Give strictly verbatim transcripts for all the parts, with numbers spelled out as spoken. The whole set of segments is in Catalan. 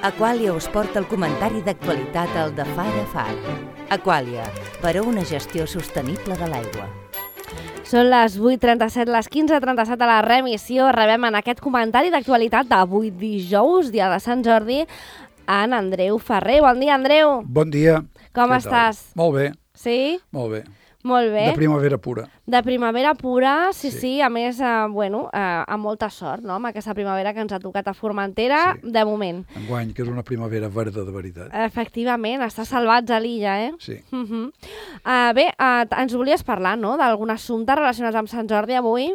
Aquàlia us porta el comentari d'actualitat al de Far a Far. Aquàlia, per a una gestió sostenible de l'aigua. Són les vuit trenta-set, les quinze trenta-set a la remissió. Rebem en aquest comentari d'actualitat d'avui dijous, dia de Sant Jordi, en Andreu Ferrer. Bon dia, Andreu. Bon dia. Com Què estàs? Tal? Molt bé. Sí? Molt bé. Molt bé. De primavera pura. De primavera pura, sí, sí. Sí. sí. A més, eh, bueno, eh, amb molta sort, no?, amb aquesta primavera que ens ha tocat a Formentera, Sí. de moment. Enguany, que és una primavera verda de veritat. Efectivament, està salvats a l'illa, eh? Sí. Uh -huh. uh, bé, uh, ens volies parlar, no?, d'algun assumpte relacionat amb Sant Jordi avui?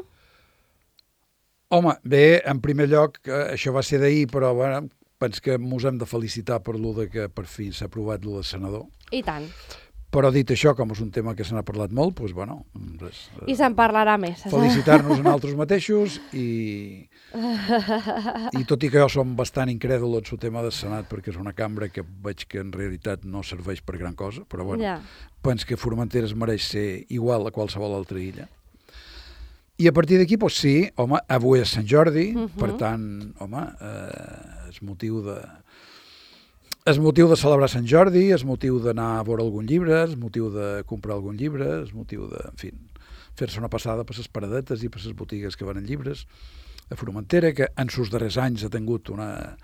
Home, bé, en primer lloc, eh, això va ser d'ahir, però bueno, penso que mos hem de felicitar per lo de que per fi s'ha aprovat lo de senador. I tant. Però dit això, com és un tema que se n'ha parlat molt, doncs, bueno, res, I se'n parlarà més. felicitar-nos a nosaltres mateixos i, i tot i que jo som bastant incrèdul en el tema del Senat, perquè és una cambra que veig que en realitat no serveix per gran cosa, però bueno, Ja. penso que Formentera es mereix ser igual a qualsevol altra illa. I a partir d'aquí, doncs sí, home, avui és Sant Jordi, Uh-huh. per tant, home, eh, és motiu de... És motiu de celebrar Sant Jordi, és motiu d'anar a veure algun llibre, és motiu de comprar algun llibre, és motiu de, en fi, fer-se una passada per les paradetes i per les botigues que venen llibres a Formentera, que en sus darrers anys ha tingut una,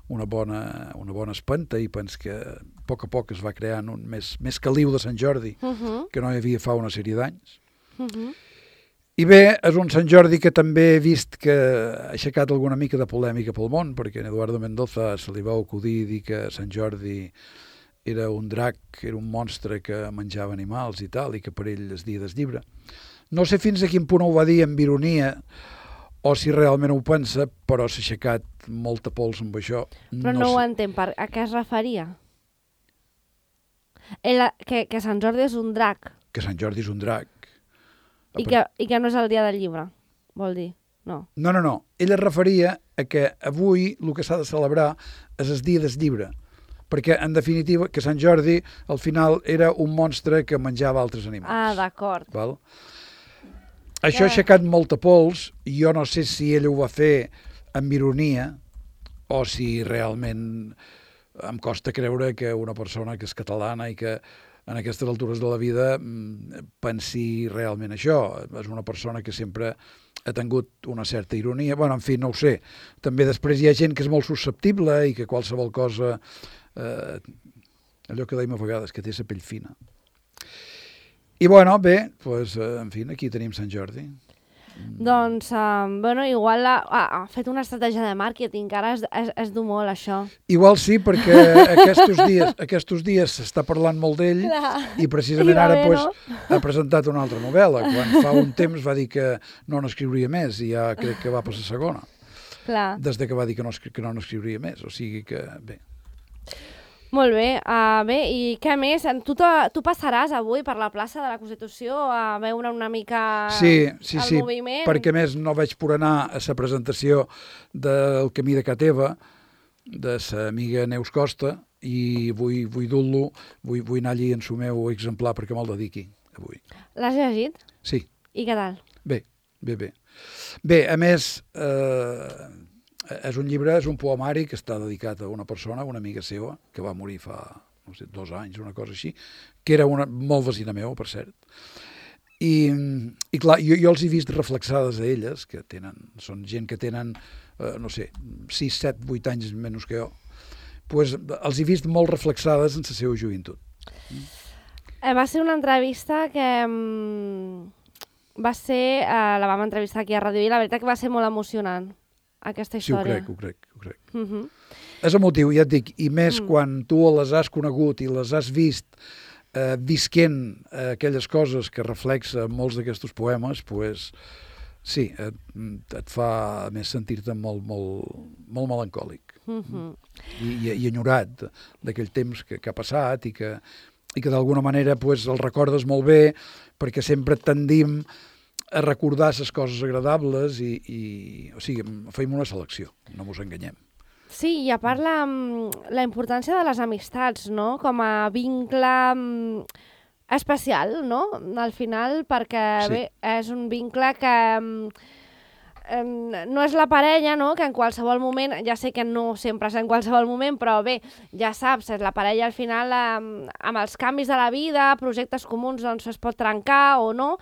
una, bona, una bona espenta i penso que a poc a poc es va creant un més, més caliu de Sant Jordi Uh -huh. que no hi havia fa una sèrie d'anys. Uh -huh. I bé, és un Sant Jordi que també he vist que ha aixecat alguna mica de polèmica pel món, perquè a Eduardo Mendoza se li va acudir dir que Sant Jordi era un drac, era un monstre que menjava animals i tal, i que per ell es dia del llibre. No sé fins a quin punt ho va dir amb ironia, o si realment ho pensa, però s'ha aixecat molta pols amb això. Però no, no ho sé. entenc, per, a què es referia? El, que, que Sant Jordi és un drac Que Sant Jordi és un drac. i que, i que no és el dia del llibre, vol dir, no. No, no, no. Ell es referia a que avui el que s'ha de celebrar és el dia del llibre, perquè, en definitiva, que Sant Jordi, al final, era un monstre que menjava altres animals. Ah, d'acord. Val? Això ha aixecat molta pols, i jo no sé si ell ho va fer amb ironia, o si realment em costa creure que una persona que és catalana i que en aquestes altures de la vida pensi realment això. És una persona que sempre ha tingut una certa ironia. Bueno, en fi, no ho sé. També després hi ha gent que és molt susceptible i que qualsevol cosa... Eh, allò que deim a vegades, que té la pell fina. I bueno, bé, doncs, en fi, aquí tenim Sant Jordi. Doncs, um, bueno, igual ha, ha fet una estratègia de màrqueting, que ara es, es, es du molt, això. Igual sí, perquè aquests dies aquests dies s'està parlant molt d'ell i precisament I va ara bé, pues, no? ha presentat una altra novel·la. Quan fa un temps va dir que no n'escriuria més i ja crec que va per la segona. Clar. Des de que va dir que no, que no n'escriuria més. O sigui que, bé... Molt bé, uh, bé, i què més? Tu, tu passaràs avui per la plaça de la Constitució a veure una mica sí, sí, el sí, moviment? perquè més no vaig por anar a la presentació del Camí de Cateva, de sa amiga Neus Costa, i vull, vull dur-lo, vull, vull anar allí en el meu exemplar perquè me'l dediqui avui. L'has llegit? Sí. I què tal? Bé, bé, bé. Bé, a més, eh, és un llibre, és un poemari que està dedicat a una persona, una amiga seva, que va morir fa, no sé, dos anys, una cosa així, que era una, molt vecina meva, per cert. I, i clar, jo, jo els he vist reflexades a elles, que tenen, són gent que tenen, eh, no sé, sis, set, vuit anys menys que jo, pues, els he vist molt reflexades en la seva joventut. Eh, va ser una entrevista que mm, va ser, eh, la vam entrevistar aquí a Ràdio i la veritat que va ser molt emocionant, aquesta Sí, ho història. crec, ho crec, ho crec. Uh -huh. És emotiu, ja et dic, i més Mm. quan tu les has conegut i les has vist eh, visquent eh, aquelles coses que reflexa molts d'aquests poemes, pues, sí, et, et fa a més sentir-te molt, molt, molt melancòlic Uh -huh. i, i, i enyorat d'aquell temps que, que ha passat i que, i que d'alguna manera pues, el recordes molt bé perquè sempre tendim a recordar les coses agradables i, i o sigui, fem una selecció, no mos enganyem. Sí, i a part la, la importància de les amistats, no?, com a vincle mm, especial, no?, al final, perquè Sí. bé, és un vincle que mm, no és la parella, no?, que en qualsevol moment, ja sé que no sempre és en qualsevol moment, però bé, ja saps, és la parella al final amb, amb els canvis de la vida, projectes comuns, doncs es pot trencar o no.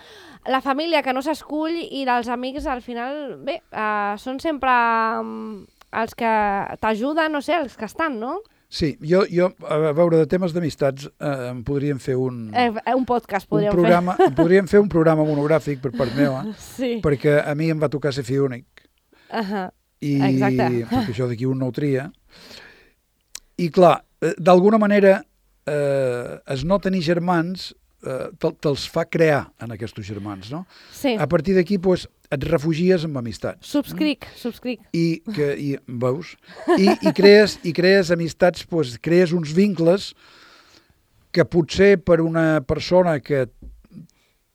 La família que no s'escull i dels amics al final, bé, eh, són sempre um, els que t'ajuden, no sé, els que estan, no? Sí, jo, jo a veure, de temes d'amistats eh, em podríem fer un... Eh, un podcast podríem un programa, fer. Podríem fer un programa monogràfic per part meva, sí. perquè a mi em va tocar ser fill únic. Uh -huh. I, Exacte. perquè això d'aquí un no ho tria. I clar, d'alguna manera, eh, es no tenir germans eh, te, te'ls fa crear en aquests germans, no? Sí. A partir d'aquí, doncs, et refugies amb amistats. Subscric, mm? subscric. I, que, i veus? I, i, crees, i crees amistats, doncs, crees uns vincles que potser per una persona que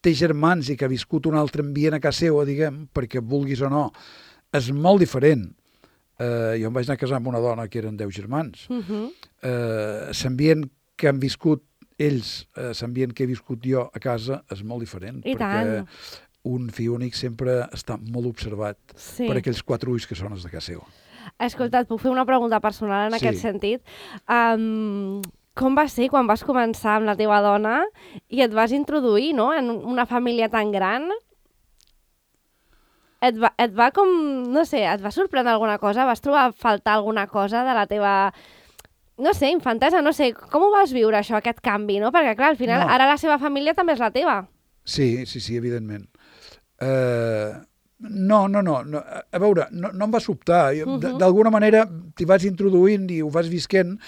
té germans i que ha viscut un altre ambient a casa seva, diguem, perquè vulguis o no, és molt diferent. Eh, jo em vaig anar a casar amb una dona que eren deu germans. Uh -huh. eh, l'ambient que han viscut ells, eh, l'ambient que he viscut jo a casa és molt diferent. I perquè tant. Un fill únic sempre està molt observat sí. per aquells quatre ulls que són els de casa seva. Escolta, et puc fer una pregunta personal en sí. aquest sentit? Um, com va ser quan vas començar amb la teva dona i et vas introduir, no?, en una família tan gran? Et va, et va com, no sé, et va sorprendre alguna cosa? Vas trobar a faltar alguna cosa de la teva, no sé, infantesa? No sé, com ho vas viure això, aquest canvi, no? Perquè, clar, al final, no. ara la seva família també és la teva. Sí, sí, sí, evidentment. Uh, no, no, no, no. A veure, no, no em va sobtar. Uh -huh. D'alguna manera t'hi vas introduint i ho vas visquent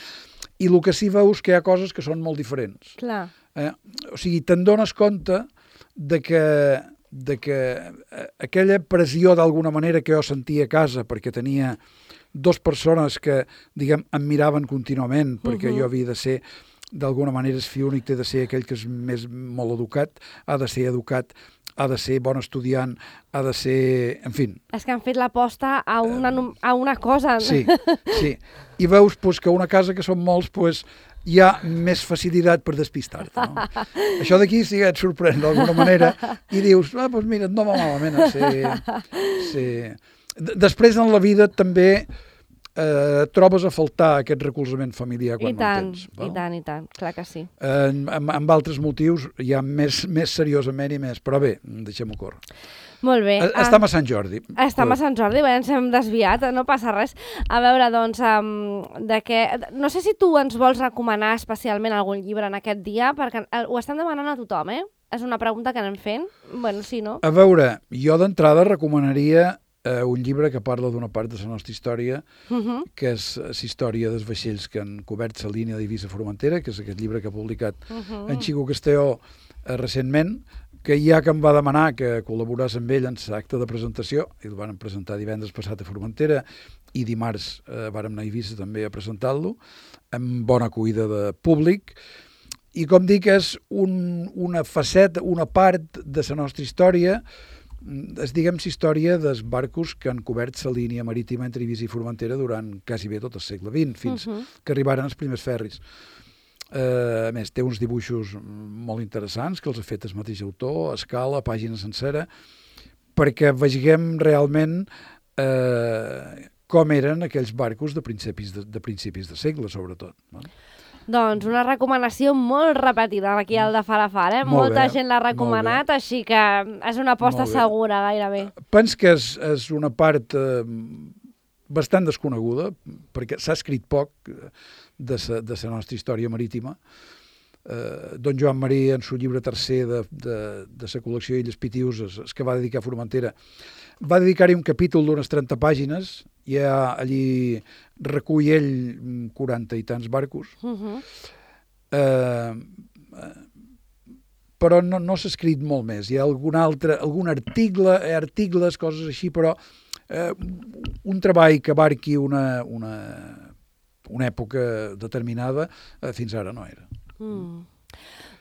i el que sí veus que hi ha coses que són molt diferents. Clar. Eh? O sigui, te'n dones compte de que, de que aquella pressió d'alguna manera que jo sentia a casa perquè tenia dues persones que, diguem, em miraven contínuament perquè uh -huh. jo havia de ser, d'alguna manera, el fill únic té de ser aquell que és més molt educat, ha de ser educat, ha de ser bon estudiant, ha de ser... En fi. És que han fet l'aposta a, una, a una cosa. Sí, sí. I veus pues, que una casa que són molts, pues, hi ha més facilitat per despistar-te. No? Això d'aquí sí que et sorprèn d'alguna manera i dius, ah, doncs mira, no va malament. Sí, sí. Després en la vida també eh, trobes a faltar aquest recolzament familiar quan I tant, no el tens. Val? I tant, i tant, clar que sí. Eh, amb, amb altres motius, ja més, més seriosament i més, però bé, deixem-ho córrer. Molt bé. Estem a Sant Jordi. Estem a Sant Jordi, bé, ens hem desviat, no passa res. A veure, doncs, um, de què... No sé si tu ens vols recomanar especialment algun llibre en aquest dia, perquè ho estem demanant a tothom, eh? És una pregunta que anem fent. Bueno, sí, no? A veure, jo d'entrada recomanaria eh, un llibre que parla d'una part de la nostra història, uh -huh. que és la història dels vaixells que han cobert la línia d'Eivissa-Formentera, que és aquest llibre que ha publicat uh -huh. en Xico Castelló eh, recentment, que ja que em va demanar que col·laborés amb ell en l'acte de presentació, i el van presentar divendres passat a Formentera, i dimarts eh, vàrem anar a Eivissa també a presentar-lo, amb bona acollida de públic, i com dic, és un, una faceta, una part de la nostra història, és, diguem, la història dels barcos que han cobert la línia marítima entre Eivissa i Formentera durant quasi bé tot el segle vint, fins uh -huh. que arribaren els primers ferris. Uh, a més, té uns dibuixos molt interessants que els ha fet el mateix autor, a escala, a pàgina sencera, perquè vegem realment uh, com eren aquells barcos de principis de, de principis de segle, sobretot. No? Doncs una recomanació molt repetida aquí al de Far a Far, eh? Molt Molta bé, gent l'ha recomanat, així que és una aposta segura, gairebé. Pens que és, és una part eh, bastant desconeguda, perquè s'ha escrit poc de sa, de la nostra història marítima. Eh, don Joan Marí, en el llibre tercer de, de, de la col·lecció Illes Pitiuses, es que va dedicar a Formentera, va dedicar-hi un capítol d'unes trenta pàgines, i allí recull ell quaranta i tants barcos, uh -huh. eh, però no, no s'ha escrit molt més. Hi ha algun altre, algun article, articles, coses així, però eh, un treball que abarqui una, una, una època determinada eh, fins ara no era. Mm.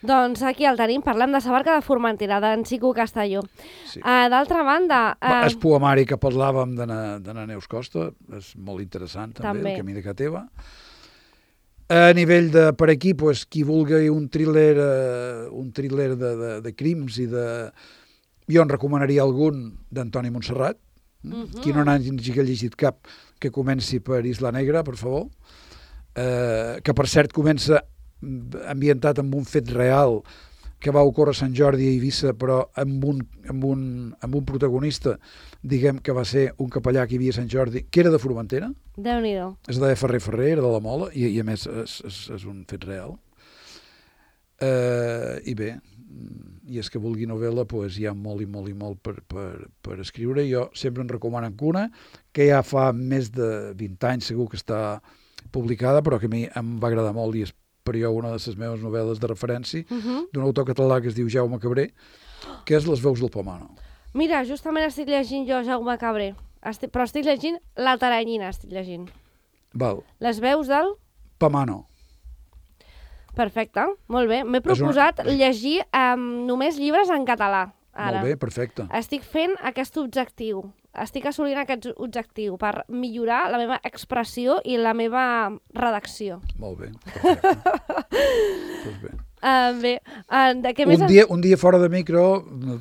Doncs aquí el tenim, parlem de la barca de Formentera, d'en Xico Castelló. Sí. Uh, D'altra banda... Uh... El poemari que parlàvem d'Anna Neus Costa és molt interessant també, també. El camí de ca teva. A nivell de, per aquí, pues, qui vulgui un thriller, uh, un thriller de, de, de crims i de... Jo en recomanaria algun d'Antoni Montserrat, Mm-hmm. Qui no n'hagi llegit cap, que comenci per Isla Negra, per favor, eh, que per cert comença ambientat amb un fet real que va ocórrer a Sant Jordi a Eivissa, però amb un, amb un, amb un protagonista, diguem que va ser un capellà que hi havia a Sant Jordi, que era de Formentera. Déu-n'hi-do. Es deia Ferrer Ferrer, era de la Mola, i, i a més és, és, és un fet real. Eh, I bé, i és que vulgui novel·la, doncs hi ha molt i molt i molt per, per, per escriure. Jo sempre en recomano una, que ja fa més de vint anys segur que està publicada, però que a mi em va agradar molt i és per jo una de les meves novel·les de referència, uh-huh. d'un autor català que es diu Jaume Cabré, que és Les veus del Pomano. Mira, justament estic llegint jo Jaume Cabré, estic, però estic llegint La Taranyina, estic llegint. Val. Les veus del... Pomano. Perfecte, molt bé. M'he proposat una... llegir um, només llibres en català, ara. Molt bé, perfecte. Estic fent aquest objectiu. Estic assolint aquest objectiu per millorar la meva expressió i la meva redacció. Molt bé, perfecte. pues bé. Uh, bé, uh, de què més... Un dia, un dia fora de micro,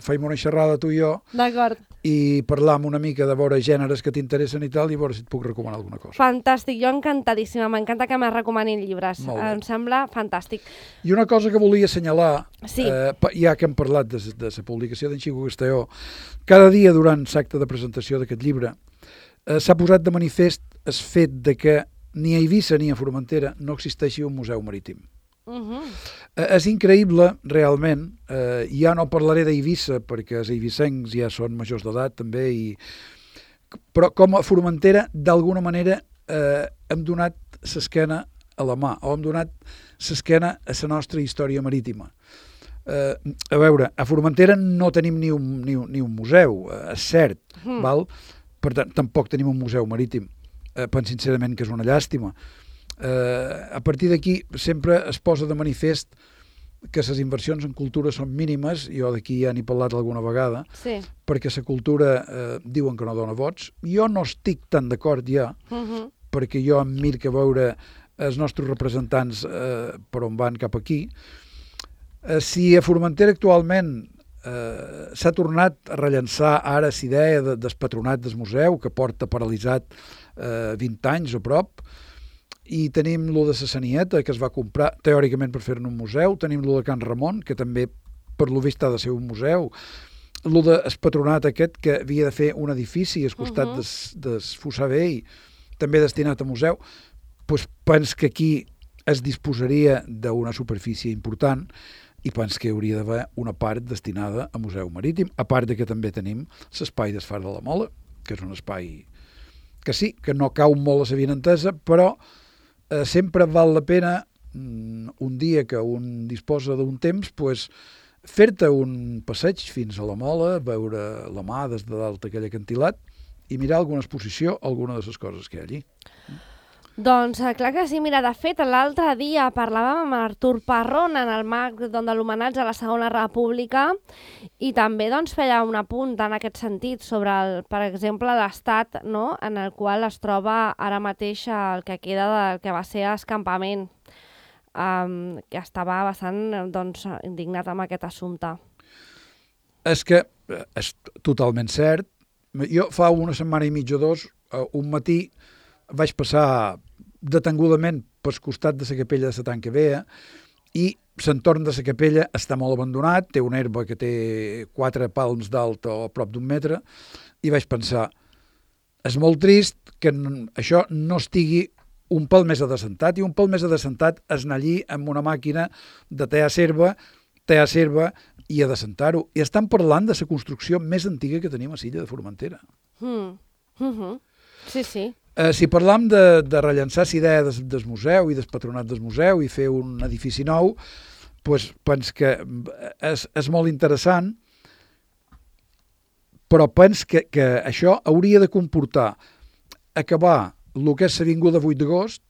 feim una xerrada tu i jo, d'acord, i parlam una mica de veure gèneres que t'interessen i tal, i veure si et puc recomanar alguna cosa. Fantàstic, jo encantadíssima, m'encanta que me recomanin llibres, em sembla fantàstic. I una cosa que volia assenyalar, sí. eh, ja que hem parlat de, de la publicació d'en Xico Castelló, cada dia durant l'acte de presentació d'aquest llibre eh, s'ha posat de manifest el fet de que ni a Eivissa ni a Formentera no existeixi un museu marítim. Uh-huh. Eh, és increïble, realment, eh, ja no parlaré d'Eivissa perquè els eivissencs ja són majors d'edat també, i... però com a Formentera d'alguna manera eh, hem donat l'esquena a la mà, o hem donat l'esquena a la nostra història marítima. Eh, a veure, a Formentera no tenim ni un, ni un, ni un museu, eh, és cert, uh-huh. val? Per tant, tampoc tenim un museu marítim. Eh, penso sincerament que és una llàstima. Uh, a partir d'aquí sempre es posa de manifest que les inversions en cultura són mínimes, jo d'aquí ja n'he parlat alguna vegada, sí. perquè la cultura uh, diuen que no dona vots. Jo no estic tan d'acord ja, uh-huh. perquè jo em mir que veure els nostres representants uh, per on van cap aquí. Uh, si a Formentera actualment uh, s'ha tornat a rellençar ara la idea de, del patronat del museu, que porta paralitzat uh, vint anys o prop, i tenim lo de la Sanieta, que es va comprar teòricament per fer-ne un museu, tenim lo de Can Ramon, que també per lo vist ha de ser un museu, lo del patronat aquest, que havia de fer un edifici al costat uh-huh. des, des Fossar Vell, també destinat a museu, doncs pens que aquí es disposaria d'una superfície important i pens que hi hauria d'haver una part destinada a museu marítim, a part de que també tenim l'espai d'Esfar de la Mola, que és un espai que sí, que no cau molt a la vinentesa, però Eh, sempre val la pena, mm, un dia que un disposa d'un temps, pues, fer-te un passeig fins a la Mola, veure la mà des de dalt aquell acantilat i mirar alguna exposició, alguna de les coses que hi ha allí. Doncs clar que sí, mira, de fet l'altre dia parlàvem amb Artur Parrón en el marc de l'homenatge a la Segona República i també doncs, feia un apunt en aquest sentit sobre, el, per exemple, l'estat, no?, en el qual es troba ara mateix el que queda del que va ser escampament, um, que estava bastant doncs, indignat amb aquest assumpte. És que és totalment cert. Jo fa una setmana i mitja o dos, un matí, vaig passar detengudament pel costat de la capella de la Tanca Vea i l'entorn de la capella està molt abandonat, té una herba que té quatre palms d'alt o a prop d'un metre, i vaig pensar, és molt trist que això no estigui un pèl més adescentat, i un pèl més adescentat és anar allí amb una màquina de tallar serva, tallar serva i adescentar-ho. I estan parlant de la construcció més antiga que tenim a l'illa de Formentera. Mm. Mm-hmm. Sí, sí. Eh, si parlam de, de rellençar la idea des, del museu i del patronat del museu i fer un edifici nou, doncs pens que és, és molt interessant, però pens que, que això hauria de comportar acabar el que és l'avinguda vuit d'agost,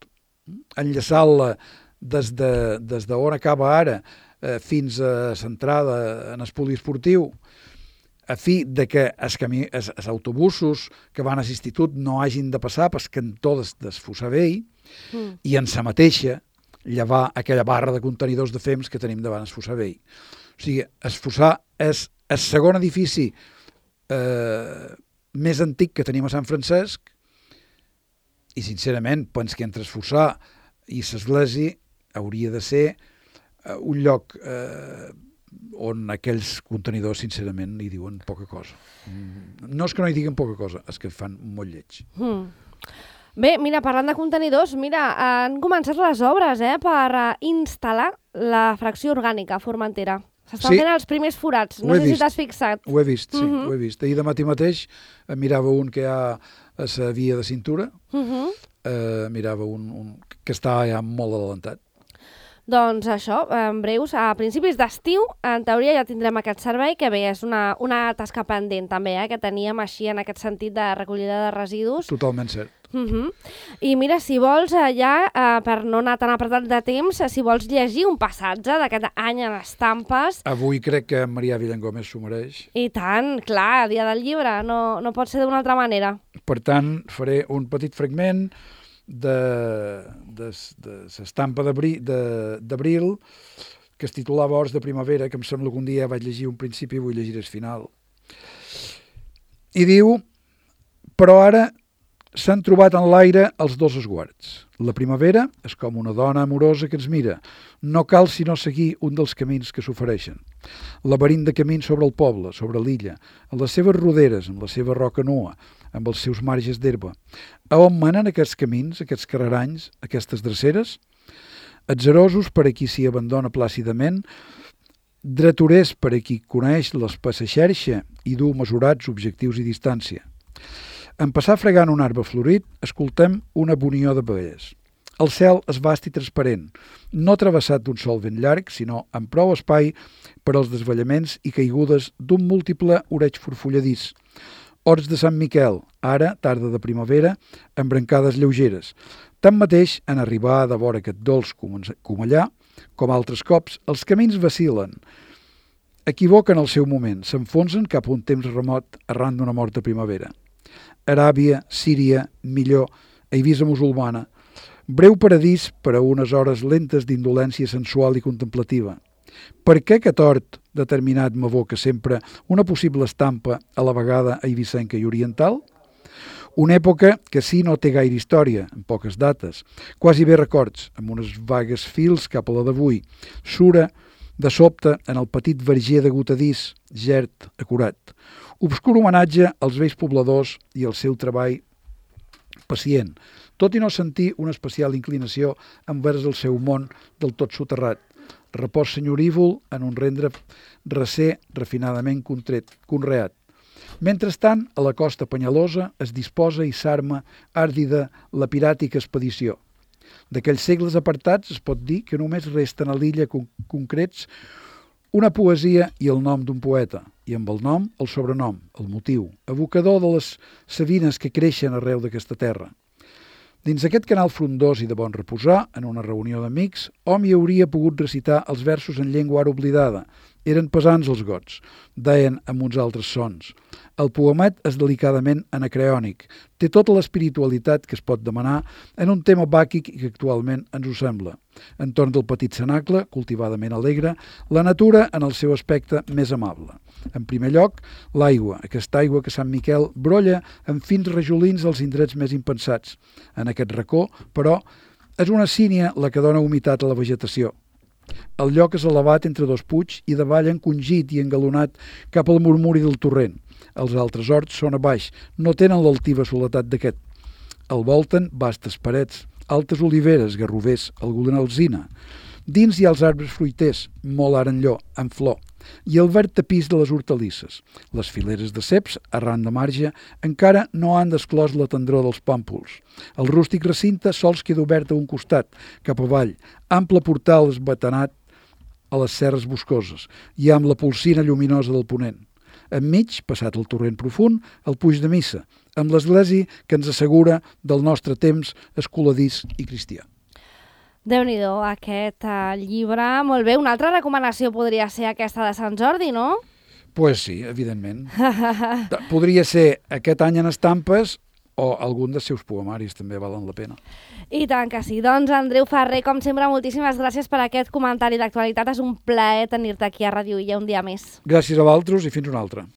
enllaçar-la des de, des d'on acaba ara eh, fins a l'entrada en el poliesportiu, a fi de que els, camí, els, els autobusos que van a l'institut no hagin de passar pel cantó des, des Fossar Vell mm. i en sa mateixa llevar aquella barra de contenidors de fems que tenim davant el Fossar Vell. O sigui, el Fossar és el segon edifici eh, més antic que tenim a Sant Francesc, i sincerament penso que entre Esfossar i l'església hauria de ser uh, un lloc uh, on aquells contenidors sincerament hi diuen poca cosa. No és que no hi diguen poca cosa, és que fan molt lleig. Mm. Bé, mira, parlant de contenidors, mira, han començat les obres eh, per uh, instal·lar la fracció orgànica a Formentera. S'estan Sí. fent els primers forats, no Ho he sé si vist. t'has fixat. Ho he vist, sí, Mhm. ho he vist. Ahir de matí mateix eh, mirava un que hi ha a la via de cintura, Uh -huh. eh, mirava un, un que està ja molt adelantat. Doncs això, en breus, a principis d'estiu, en teoria ja tindrem aquest servei, que bé, és una, una tasca pendent també, eh, que teníem així en aquest sentit de recollida de residus. Totalment cert. Uh -huh. I mira, si vols, eh, ja, eh, per no anar tan apretat de temps, eh, si vols llegir un passatge d'aquest any en estampes, Avui crec que Marià Villangómez s'ho mereix. i tant, clar, dia del llibre, no, no pot ser d'una altra manera. Per tant, faré un petit fragment de, de, de l'estampa d'abril de, d'abril que es titulava Horts de primavera, que em sembla que un dia vaig llegir un principi i vull llegir el final. I diu, però ara s'han trobat en l'aire els dos esguards. La primavera és com una dona amorosa que ens mira. No cal sinó seguir un dels camins que s'ofereixen. Laberint de camins sobre el poble, sobre l'illa, en les seves roderes, amb la seva roca nua, amb els seus marges d'herba. A on manen aquests camins, aquests carreranys, aquestes dreceres? Atzerosos per a qui s'hi abandona plàcidament, dreturers per a qui coneix l'espessa xerxa i du mesurats objectius i distància. En passar fregant un arbre florit, escoltem una bonió d'abelles. El cel és vast i transparent, no travessat d'un sol vent llarg, sinó amb prou espai per als desvallaments i caigudes d'un múltiple oreig forfolladís. Horts de Sant Miquel, ara, tarda de primavera, amb brancades lleugeres. Tanmateix, en arribar de vora aquest dolç comellà, com altres cops, els camins vacil·len, equivoquen el seu moment, s'enfonsen cap a un temps remot arran d'una morta primavera. Aràbia, Síria, millor, Eivissa musulmana, breu paradís per a unes hores lentes d'indolència sensual i contemplativa. Per què aquest hort determinat m'evoca sempre una possible estampa a la vegada eivissenca i oriental? Una època que sí no té gaire història, en poques dates, quasi bé records, amb unes vagues fils cap a la d'avui, sura de sobte en el petit verger de gotadís, gert, acurat. Obscur homenatge als vells pobladors i al seu treball pacient, tot i no sentir una especial inclinació envers el seu món del tot soterrat. Repòs senyorívol en un rendre recer refinadament contret, conreat. Mentrestant, a la costa Penyalosa es disposa i s'arma àrdida la piràtica expedició. D'aquells segles apartats es pot dir que només resten a l'illa con concrets una poesia i el nom d'un poeta, i amb el nom el sobrenom, el motiu, evocador de les savines que creixen arreu d'aquesta terra. Dins aquest canal frondós i de bon reposar, en una reunió d'amics, hom hi hauria pogut recitar els versos en llengua ara oblidada. Eren pesants els gots, deien amb uns altres sons. El poemet és delicadament anacreònic, té tota l'espiritualitat que es pot demanar en un tema bàquic i que actualment ens ho sembla. Entorn del petit cenacle, cultivadament alegre, la natura en el seu aspecte més amable. En primer lloc, l'aigua, aquesta aigua que Sant Miquel brolla en fins rajolins als indrets més impensats. En aquest racó, però, és una sínia la que dona humitat a la vegetació. El lloc és elevat entre dos puigs i davall encongit i engalonat cap al murmuri del torrent. Els altres horts són a baix, no tenen l'altiva soledat d'aquest. El volten vastes parets, altes oliveres, garrovers, alguna alzina. Dins hi ha els arbres fruiters, molt arenlló, en flor, i el verd tapís de les hortalisses. Les fileres de ceps, arran de marge, encara no han desclòs la tendror dels pàmpols. El rústic recinte sols queda obert a un costat, cap avall, ample portal esbatanat a les serres boscoses i amb la polsina lluminosa del ponent. Enmig, passat el torrent profund, el puig de missa, amb l'església que ens assegura del nostre temps escoladís i cristià. Déu-n'hi-do, aquest uh, llibre. Molt bé, una altra recomanació podria ser aquesta de Sant Jordi, no? Pues sí, evidentment. Podria ser aquest any en estampes o algun dels seus poemaris també valen la pena. I tant que sí. Doncs, Andreu Ferrer, com sempre, moltíssimes gràcies per aquest comentari d'actualitat. És un plaer tenir-te aquí a Ràdio Illa un dia més. Gràcies a vosaltres i fins una altra.